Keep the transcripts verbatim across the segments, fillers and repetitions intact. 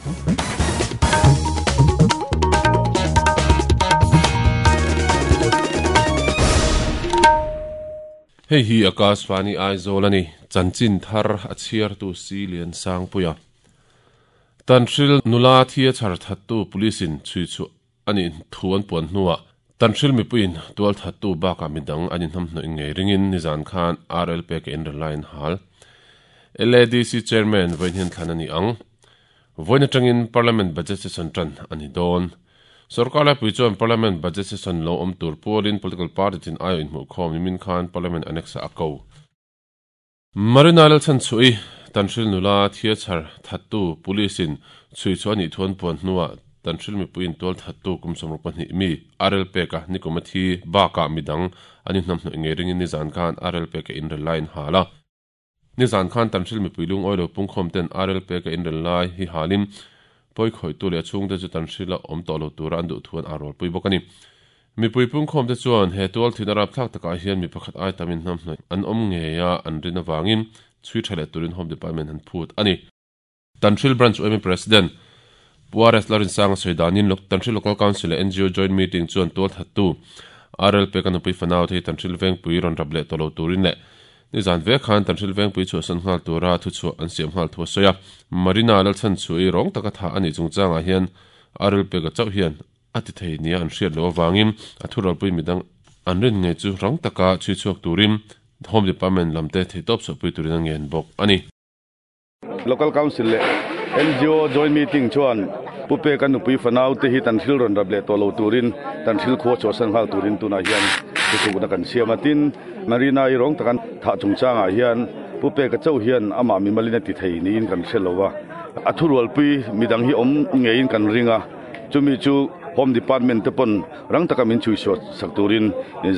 Hei hi Akashvani Aizawl ani chanchin thar a chhiar tu si lian sang puia Tanhril nula thia chhar thattu police in chui chu ani thuan puan hnuwa Tanhril mipuin tual thattu baka midang ani hnam hnoi ngei ringin nizan khan R L P ke in line hal L A D C chairman voinhin thlan ani ang voina tangin parliament budget session tran ani don Sarkar la pui chuan parliament budget session lo om tur pualin political party tin ayo in hmu khawm nimin khan parliament annexa a ko Marina Lalchan chui Tanhril nula thia chhar thattu police in chui chu ani thuan puan hnuwa Tanhril mipuin tual thattu kum somruk pahnih mi R L P ka nikomathi baka midang ani hnam hnoi ngei ringin nizan khan R L P ka in line hala nizan khan Tanhril mipui lung oilo pungkhawm ten R L P ka in lai hi halin poi khoi tu le chung te chu Tanhril a om to lo tura an du thuan arol pui bokani mipui pungkhawm te chuan he tual thina rap thak taka hian mi pakhat ai tamin hnam hnoi an om nge ya an rina wangin chui thale turin home department han phut ani Tanhril branch O M president Puares Larin Sang soidanin lok Tanhril local council N G O joint meeting chuan tual thattu R L P kan pui fanau thei Tanhril veng pui ron rable tolo turin le nizan ve khan Tanhril veng pui chu san ngal tura thu chu an siam ngal thu soya Marina Lalchan chui rong taka tha ani chungchanga hian R L P ka chau hian ati thei nia an hriat lo wangin a thural pui midang an rin nge chu rong taka chui chuak turin home department lamte thei top so pui turin ngen bok ani local council le N G O joint meeting chuan pupe kan pui fanau te hi Tanhril ron rable to lo turin Tanhril kho chu san hal turin tuna hian chu na kan siamatin Marina i rong takan tha chungchanga hian pupe ka chau hian ama mi malina ti thei niin kan hrelowa a thurual pui midang hi om ngein kan ringa chumi chu home department te pon rang taka min chui so sak turin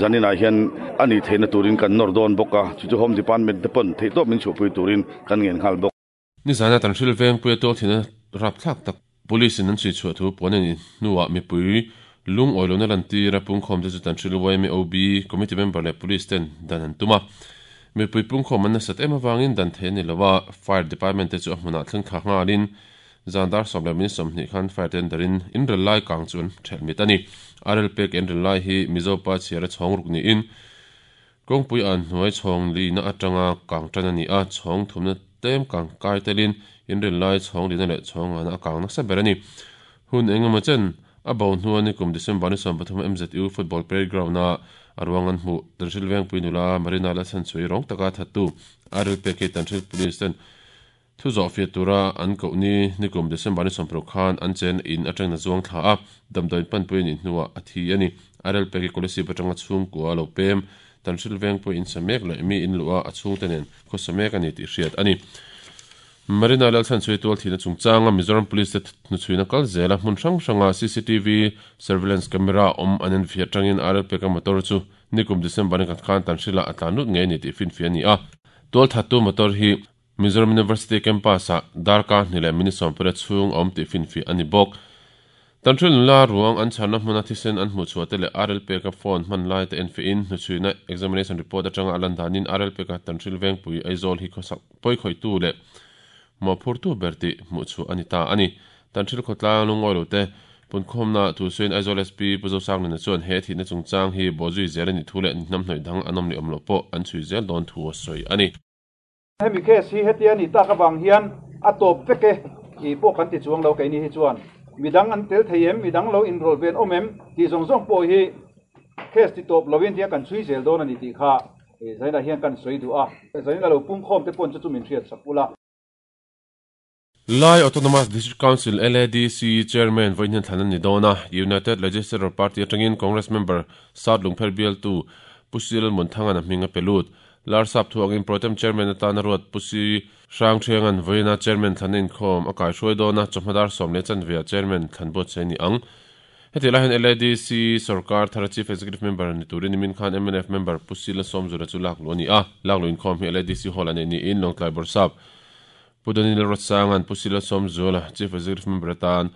zanina hian ani theina turin kan nor don boka chu chu home department te pon thei to min chu pui turin kan ngen khal bok ni zana Tanhril veng pui to thina rap thak tak police in an chui chu thu ponen nuwa mi pui lung oilona lan ti rapung khom te chu Tanhril Y M O B committee member le police ten dan an tuma mi pui pung khom an sat ema wangin dan the ni lawa fire department te chu hmuna thleng kha ngalin zandar somle min somni khan fire tenderin in relai kang chun thelmit ani R L P in relai hi mizopa chiara chhongruk ni in kongpui an hnuai chhong li na atanga kang tan ani a chhong thumna tem kang kai telin in relai chhong li na le chhong ana kang na sa berani hun engemaw chen a bo hnuani kum December ni som pathum M Z U football playground na arwangan hmu Tanhril veng puinula Marina Lalchan chui rong taka thattu R L P ke Tanhril police ten thu zo fia tura an ko ni nikum December ni sompro khan an chen in atang na zuang thla a damdawi pan pui ni hnuwa a thi ani R L P ke kolesi patanga chung ko lo pem Tanhril veng pui in samek le mi in luwa a chung tenen kho samek ani ti hriat ani Marina Lalchan chui tual thina chungchanga Mizoram police nu chuina kal zela hmun hrang hranga C C T V surveillance camera om anen fia tangin R L P ka motor chu nikum December ni khan Tanhrila atlanut nge ni ti fin fia ni a tual thattu motor hi Mizoram University campus a darka nile minisom pere chung om ti fin fi ani bok Tanhril nula ruang an chana hmuna thisen an hmu chuate le R L P ka phone hman lai te en fi in nu chuina examination report atanga alan danin R L P ka Tanhril veng pui Aizawl hi khosak poi khoi tu le mo phurtu berti mu chu ani ta ani Tanhril khotla lungoi lo te punkhom na thu suin Aizawl S P puzo sang na chuan he thi na chungchang hi bozui zel ani thu le nam hnoi dang anom ni omlo po an chui zel don thu soi ani hemi case hi hetian i taka wang hian a top veke i pawh kan ti chuang lo keini hi chuan midang an tel theiem midang lo enroll ven omem ti zawng zawng pawh hi case ti top lovin tia kan chui zel dawn ani tih kha e zaina hian kan sawi duh a zaina lo pung khawm te pawn chu chu min hriat sak ula. Lai Autonomous District Council L A D C Chairman Voinhen Thanan Nidona United Legislative Party atangin Congress member South Lungpher Bial tu Pusil Munthangan hminga pelut Larsap thuangin Protem Chairman atana ruat Pusi Hrang Thiangan Voina Chairman Thanin khom akai hruai dona chawhmadar sawmle chanvia Chairman Thanbot cheni ang heti lahin L A D C Sarkar Thara Chief Executive Member ni turin min khan M N F member Pusila Somzura chu lak lo ni a lak lo in khom hi L A D C hall ani ni in Longtlai Borsap Pudanil Rotsangan Pusila Somzula Chief Executive Member tan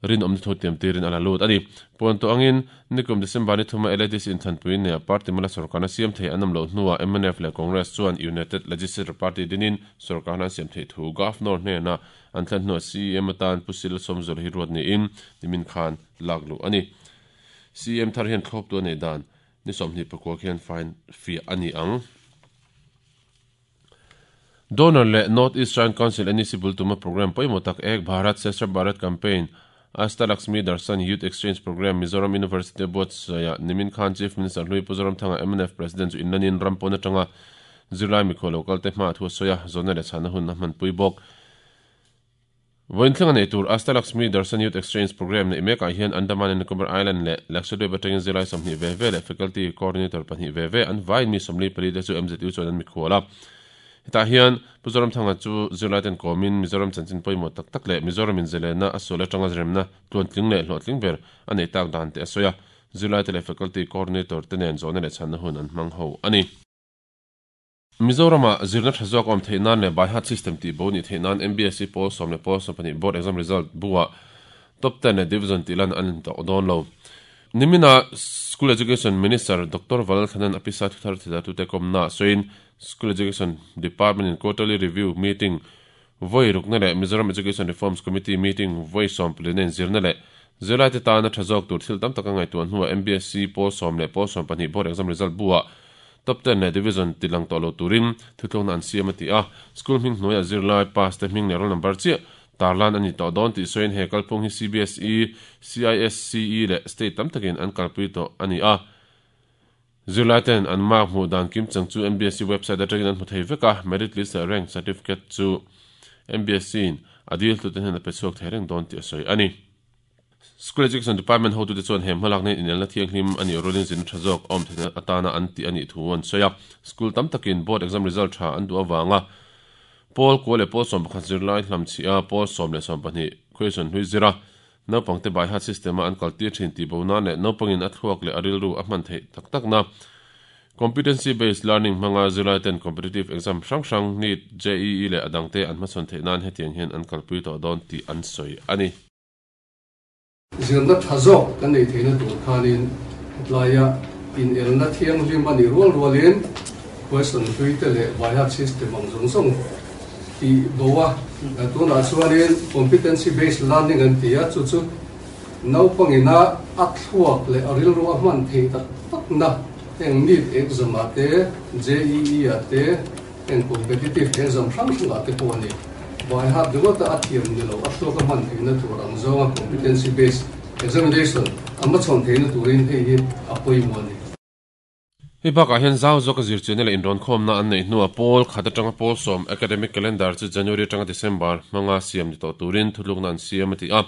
Rin om thu tiam tirin ala lut ani pon to angin nikum December ni thuma L A D C in thanpui ne party mala sarkana siam thei anam lo hnuwa M N F le Congress chuan United Legislative Party dinin sarkana siam thei thu governor hne na an thlan hnuwa C M atan pusil somzol hi ruat ni in nimin khan laglu ani C M thar hian thlop tu nei dan ni somni pakwa khian fine fi ani ang. Donor le North East Shrine Council N E C bultuma program poimotak Ek Bharat Shreshtha Bharat campaign Asta Lakshmi Darshan Youth Exchange Program Mizoram University Board ya Nimin Khan Chief Minister Hlui Puzoram Thanga M N F President chu inlanin rampona tanga July mikho local te hma thu soya zona le chana hun na man pui bok voin thlenga nei tur Asta Lakshmi Darshan Youth Exchange Program ne mek a hian Andaman and Nicobar Island le Lakshadweep atangin July somni ve ve le faculty coordinator pahnih ve ve an vain mi somli pali te chu M Z U chuan an mikhola ta hian Puzoram Thanga chu July ten komin Mizoram chanchin poimo tak tak le Mizoram in zelena asola tanga remna tluan tling le hlo tling ber anei tak dan te asoya July te faculty coordinator te nen zone le chan hun an mang ho ani Mizorama zirna thazok om theinan le by heart system ti bo ni theinan M B S C pol som le pol som pani board exam result buwa top ten le division tilan an to don lo nimina School Education Minister Doctor Valthanan apisa thuthar thida tu te komna soin School Education Department in quarterly review meeting voi rukna le Mizoram Education Reforms Committee meeting voi som plenen zirna le zirlai te tana thazok tur thil tam taka ngai tuan huwa M B S C pol som le pol som pahnih board exam result buwa top ten le division tilang to lo turin thutlong an siam ati a school hming hnuaia zirlai pass te hming le roll number chi tarlan ani to don ti soin he kalphung hi C B S E C I S C E le state tam takin an kalpui to ani a zirlai ten an mark hmu dan kim chang chu M B S C website atangin an hmu thei veka merit list le rank certificate chu M B S C in adil tu ten hen a pe chhuak thei reng don ti a sawi ani. School Education Department ho tu te chuan hem hmalak nei inelna thiang hlim ani rolling zin thazok om thena atana an ti ani thu an soya school tam takin board exam result tha an du awanga pol ko le pol som pakhat zirlai hlam chi a pol som le som pahnih question hui zira naupang te by heart system an kalti thin ti bo na le naupangin a thuak le aril ru a hman thei tak tak na competency based learning manga zirlai ten competitive exam hrang hrang NEET J E E le adang te an hmasawn thei nan hetiang hian an kalpui to dawn ti an sawi ani. Zirna thazok kan nei theina tur khanin hetlaya in elna thiang hlim ani rual rualin question hlui te le by heart system ang zawng zawng ti bowa tuna chuanin competency based learning an tia chu chu naupangina a thluak le a rilru a hman thei tak tak na eng NEET exam a te J E E a te eng competitive exam hrang hrang a te pawh ani by heart ringawt a thiam ni lo a thluak a hman theihna tur ang zawnga competency based examination a hmachhawn theihna turin hei hi a pawimawh ani. Hi bakah hian zau zawk a zirchian le inrawn khawmna an nei hnuah pawl khat atanga pawl sawm academic calendar chu January atanga December hmanga siam ni tawh turin thutlukna an siam a ti a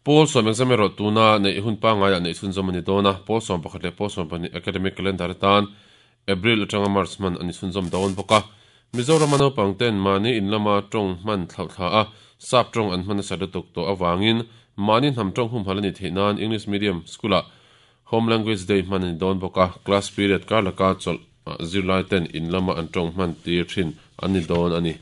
pawl sawm exam erawh tuna nei hun pangngai ah nei chhunzawm ani dawn a pawl sawm pakhat leh pawl sawm pahnih academic calendar atan April atanga March hman ani chhunzawm dawn bawk a Mizoram naupang ten mahni in lama tawng hman thlauh thla a sap tawng an hman nasa lutuk tawh awangin mahni hnam tawng hum hal ani theih nan English medium school ah Home Language Day hman ani dawn bawk a class period kar laka chawlh zirlai ten in lama an tawng hman tir thin ani dawn ani.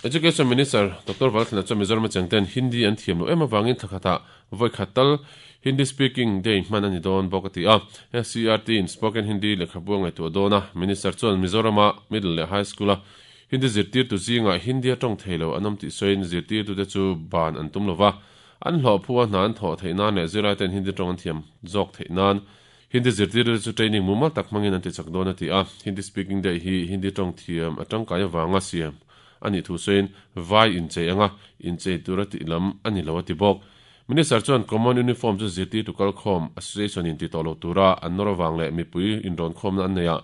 Education Minister Doctor Valthlana chu Mizoram changten Hindi an thiam lo em awangin thlakhata voi khatal Hindi speaking day hman ani dawn bawk ati a S C R T in spoken Hindi lekhabu ngai tu dawna Minister chuan Mizorama middle le high school a Hindi zirtir tu zinga Hindi atawng theilo anam ti soin zirtir tu te chu ban an tum lova an hlo phua hnan thaw thei nan le zirlai ten Hindi tawng an thiam zawk thei nan Hindi zirtir chu training mumal tak hmangin an ti chak dawn ati a Hindi speaking day hi Hindi tawng thiam atangkai awanga siam ani thu soin vai in chei anga in chei tura ti lam ani lo ati bawk Minister chuan common uniform chu zirtir tu kal khawm association in ti tawh lo tura an nawr awang leh mipui inrawn khawmna an nei a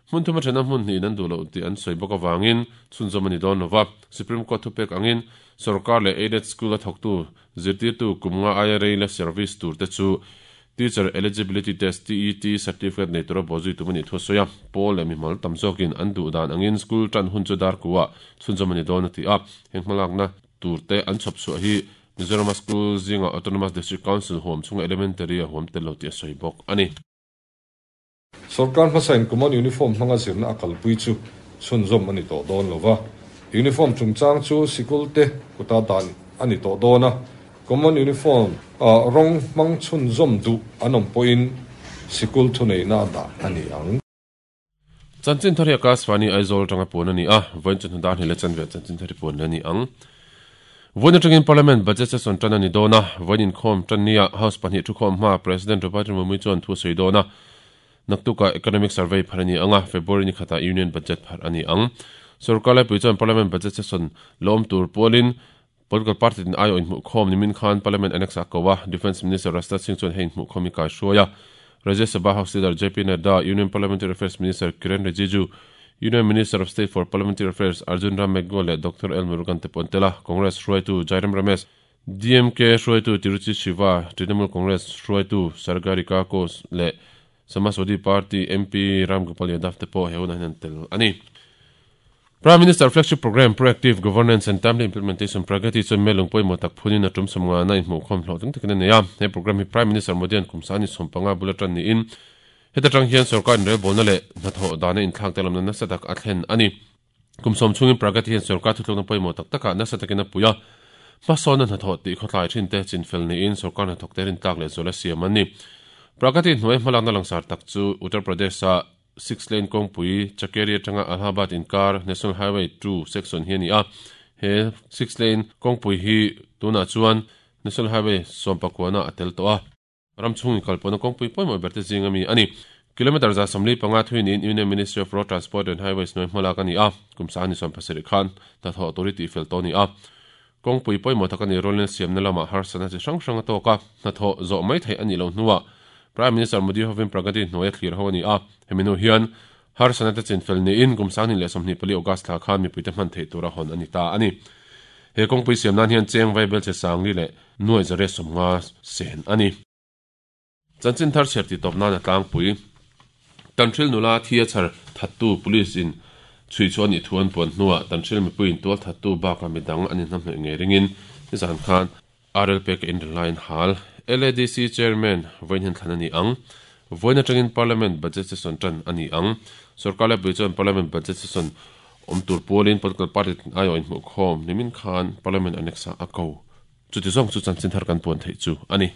hmun thuma thena hmun hnih an duh lo tih an sawi bawk awangin chhunzawm ani dawn lova Supreme Court thupek angin sarkar leh aided school a thawktu zirtir tu kumnga I R A le service tur te chu teacher eligibility test T E T certificate nei tura bawzui tum ani thu sawi a pawl leh mimal tam zawkin an duh dan angin school tan hun chu dar kuwa chhunzawm ani dawn ati a heng hmalakna tur te an chhawp chhuah hi Mizoram School zinga Autonomous District Council huam chunga elementary a huam tel lo ti a sawi bawk ani. Sarkar hmasain common uniform hmanga zirna a kalpui chu chhunzawm ani tawh dawn lova uniform chungchang chu sikul te kuta dan ani tawh dawn a Common uniform rawng hmang chhunzawm duh an awm pawhin sikul thuneihna a dah a ni ang. Chanchin thar hi Akashvani Aizawl atanga puan a ni a, vawiin chu hnu dar hnih leh chanve chanchin thar hi puan a ni ang. Vawiin atangin Parliament budget session tan a ni dawn a, vawiin inkhawm tan nia House pahnih thukhawm hma President Draupadi Murmu chuan thu a sawi dawn a, naktukah Economic Survey phar a ni ang a, February ni khatah Union Budget phar a ni ang. Sorkar laipui chuan Parliament budget session lawm tur pualin Political party tin aiawh inhmuhkhawm nimin khan Parliament Annex a ko a, Defence Minister Rajnath Singh chuan hei inhmuhkhawm hi kaihruai a. Rajya Sabha House Leader J P Nadda, Union Parliamentary Affairs Minister Kiren Rijiju, Union Minister of State for Parliamentary Affairs Arjun Ram Meghwal leh Doctor L Murugan te pawh an tel a. Congress hruaitu Jairam Ramesh, D M K hruaitu Tiruchi Siva, Trinamool Congress hruaitu Sagarika Ghose leh Samajwadi Party M P Ram Gopal Yadav te pawh he hunah hian an tel a ni. Prime Minister Flagship Programme Proactive Governance and Timely Implementation Pragati chuan melung pawimawh tak phunin a tum sawmnga na inhmuhkhawm hlawhtling takin a nei a. He programme hi Prime Minister Modi an kum sani sawmpanga bula tan niin heta tang hian sorkar inrelbawlna leh hnathawh dana inthlak te lamna nasa tak a thlen a ni. Kum sawm chungin Pragati hian sorkar thutlukna pawimawh tak takah nasa takin a pui a. Hmasawn hnathawh tih khawtlai thin te chinfel niin sorkar hnathawk te rin tlak leh zual a siam an ni. Pragati hnuai hmalakna langsar tak chu Uttar Pradesh a six lane kawngpui Chakeri atanga Allahabad inkar National Highway two section hi a ni a. He six lane kawngpui hi tunah chuan National Highway sawmpakuana a tel tawh a. Ram chhung inkalpawhna kawngpui pawimawh ber te zing ami a ni. Kilometer za sawmli panga thui niin Union Ministry of Road Transport and Highways hnuai hmalak a ni a. Kum sangni sawm pasarih khan hnathawh tur hi tihfel tawh a ni a. Kawngpui pawimawh tak a ni rualin siamna lamah harsatna chi hrang hrang a tawk a. Hnathawh zawh mai theih a nih loh hnuah Prime Minister Modi hovin Pragati hnuai a thlir ho a ni a. Hemi hnu hian harsatna te chinfel niin kum sangni leh sawmhnih pali August thla khan mipuite hman theih tura hawn a ni ta a ni. He kawngpui siam nan hian cheng vaibel che sangli leh nuai zare sawmnga sen a ni. Chanchin thar chhiar tih tawp nan a tlangpui. Tanhril nula thi a chhar thattu police in chhui chu ani thu an puan hnuah Tanhril mipuiin tual thattu baka midang an inhnamhnawih ngei ringin nizan khan R L pek in line hal. L A D C Chairman vawiin hian thlan a ni ang. Vawiin atangin Parliament budget session tan a ni ang. Sorkar laipui chuan Parliament budget session awm tur pualin political party aiawh inhmuhkhawm nimin khan Parliament Annex a ko. Chuti zawng chu chanchin thar kan puan theih chu a ni.